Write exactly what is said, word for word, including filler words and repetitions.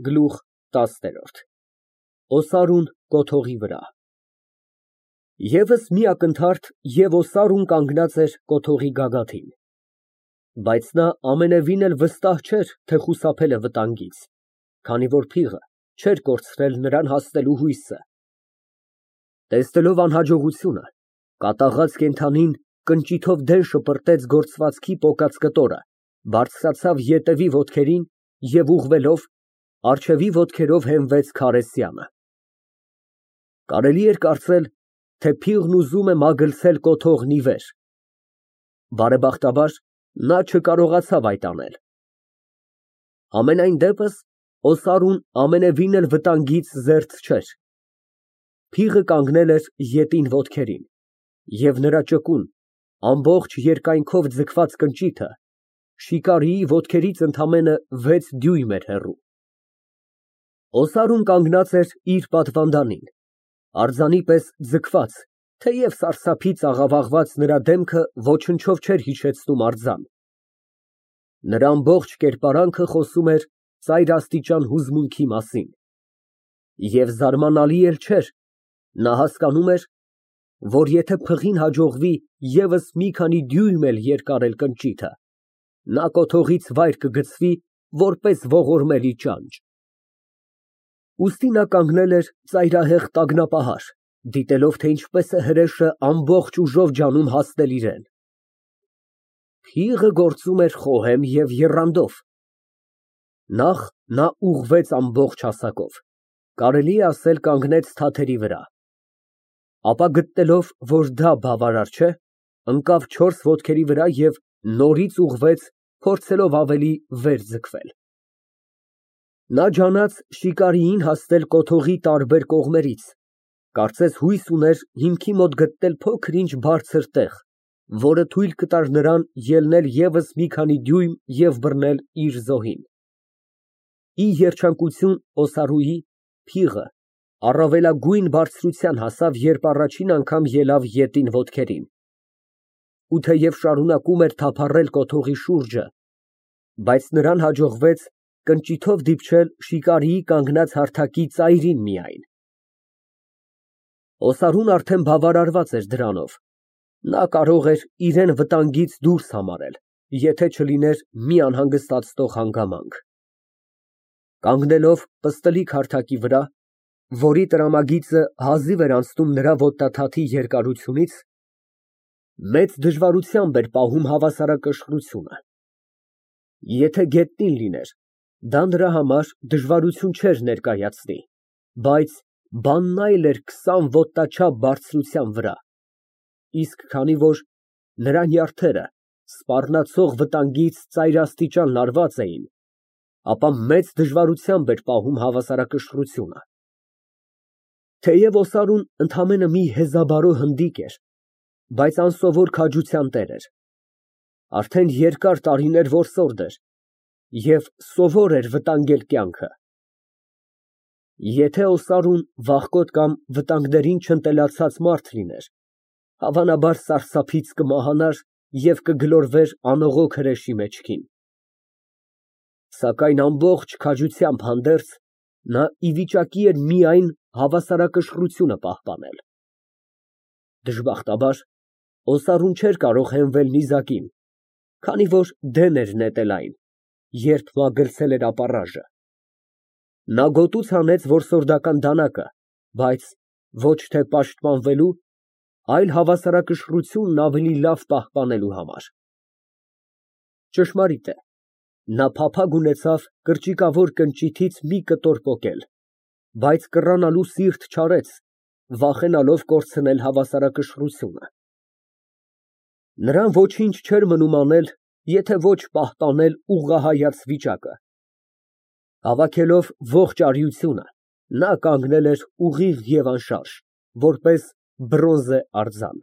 Գլուխ տասը ՕՍԱՐՈՒՆ ֊ (Կոթողի վրա) Եվս մի ակնթարթ, և օսարուն կանգնած էր կոթողի գագաթին, բայց նա ամենևին էլ վստահ չէր, թե խուսափել է վտանգից, քանի որ փիղը չէր կորցրել նրան հասնելու հույսը։ Տեսնելով անհաջողությունը, կատաղած կենդանին կնճիթով դեն շպրտեց գործվածքի պոկած կտորը, բարձրացավ ետևի ոտքերին և ուղղվելով, առջևի ոտքերով հենվեց քարե սյանը։ Կարելի էր կարծել, թե փիղն ուզում է մագլցել կոթողն ի վեր։ Բարեբախտաբար, նա չկարողացավ այդ անել։ Համենայն դեպս, օսարուն ամենևին էլ վտանգից զերծ չէր։ Փիղը կանգնել էր ետին ոտքերին, և նրա ճկուն, ամբողջ երկայնքով ձգված կնճիթը շիկարիի ոտքերից ընդամենը վեց դյույմ էր հեռու։ Օսարուն կանգնած էր իր պատվանդանին, արձանի պես ձգված, թեև սարսափից աղավաղված նրա դեմքը ոչնչով չէր հիշեցնում արձան։ Նրա ամբողջ կերպարանքը խոսում էր ծայրաստիճան հուզմունքի մասին։ Եվ զարմանալի էլ չէր, նա հասկանում էր, որ եթե փղին հաջողվի ևս մի քանի դյույմ էլ երկարել կնճիթը, նա կոթողից վայր կգցվի, որպես ողորմելի ճանճ։ Ուստի նա կանգնել էր ծայրահեղ տագնապահար, դիտելով, թե ինչպես է հրեշը ամբողջ ուժով ջանում հասնել իրան։ Փիղը գործում էր խոհեմ և եռանդով։ Նախ նա ուղղվեց ամբողջ հասակով, կարելի է ասել կանգնեց թաթերի վրա, ապա գտնելով, որ դա բավարար չէ, ընկավ չորս ոտքերի վրա և նորից ուղղվեց, փորձելով ավելի վեր ձգվել։ Նա ջանաց շիկարիին հասնել կոթողի տարբեր կողմերից, կարծես հույս ուներ հիմքի մոտ գտնել փոքր֊ինչ բարձր տեղ, որը թույլ կտար նրան ելնել ևս մի քանի դյույմ և բռնել իր զոհին։ Ի երջանկություն օսարուի, փիղը առավելագույն բարձրության հասավ, երբ առաջին անգամ ելավ ետին ոտքերին, ու թեև շարունակում էր թափառել կոթողի շուրջը, բայց նրան հաջողվեց կնճիթով դիպչել շիկարիի կանգնած հարթակի ծայրին միայն։ Օսարուն արդեն բավարարված էր դրանով, նա կարող էր իրան վտանգից դուրս համարել, եթե չլիներ մի անհանգստացնող հանգամանք։ Կանգնելով պստլիկ հարթակի վրա, որի տրամագիծը հազիվ էր անցնում նրա ոտնաթաթի երկարությունից, մեծ դժվարությամբ էր պահում հավասարակշռությունը։ Եթե գետնին լիներ, դա նրա համար դժվարություն չէր ներկայացնի, բայց բանն այլ էր քսան ոտնաչափ բարձրության վրա, իսկ քանի որ նրա նյարդերը սպառնացող վտանգից ծայրաստիճան լարված էին, ապա մեծ դժվարությամբ էր պահում հավասարակշռությունը։ Թեև օսարուն ընդամենը մի հեզաբարո հնդիկ էր, բայց անսովոր քաջության տեր էր, արդեն երկար տարիներ որսորդ էր և սովոր էր վտանգել կյանքը։ Եթե օսարուն վախկոտ կամ վտանգներին չընտելացած մարդ լիներ, հավանաբար սարսափից կմահանար և կգլորվեր անողոք հրեշի մեջքին։ Սակայն ամբողջ քաջությամբ հանդերձ, նա ի վիճակի էր միայն հավասարակշռությունը պահպանել։ Դժբախտաբար, օսարուն չէր կարող հենվել նիզակին, քանի որ դեն էր նետել այն, երբ մագլցել էր ապառաժը։ Նա գոտուց հանեց որսորդական դանակը, բայց ոչ թե պաշտպանվելու, այլ հավասարակշռությունն ավելի լավ պահպանելու համար։ Ճշմարիտ է, նա փափագ ունեցավ կրճիկավոր կնճիթից մի կտոր պոկել, բայց կռանալու սիրտ չարեց, վախենալով կորցնել հավասարակշռությունը։ Նրան ոչինչ չէր մնում անել, եթե ոչ պահպանել ուղղահայաց վիճակը։ Հավաքելով ողջ արիությունը, նա կանգնել էր ուղիղ և անշարժ, որպես բրոնզե արձան։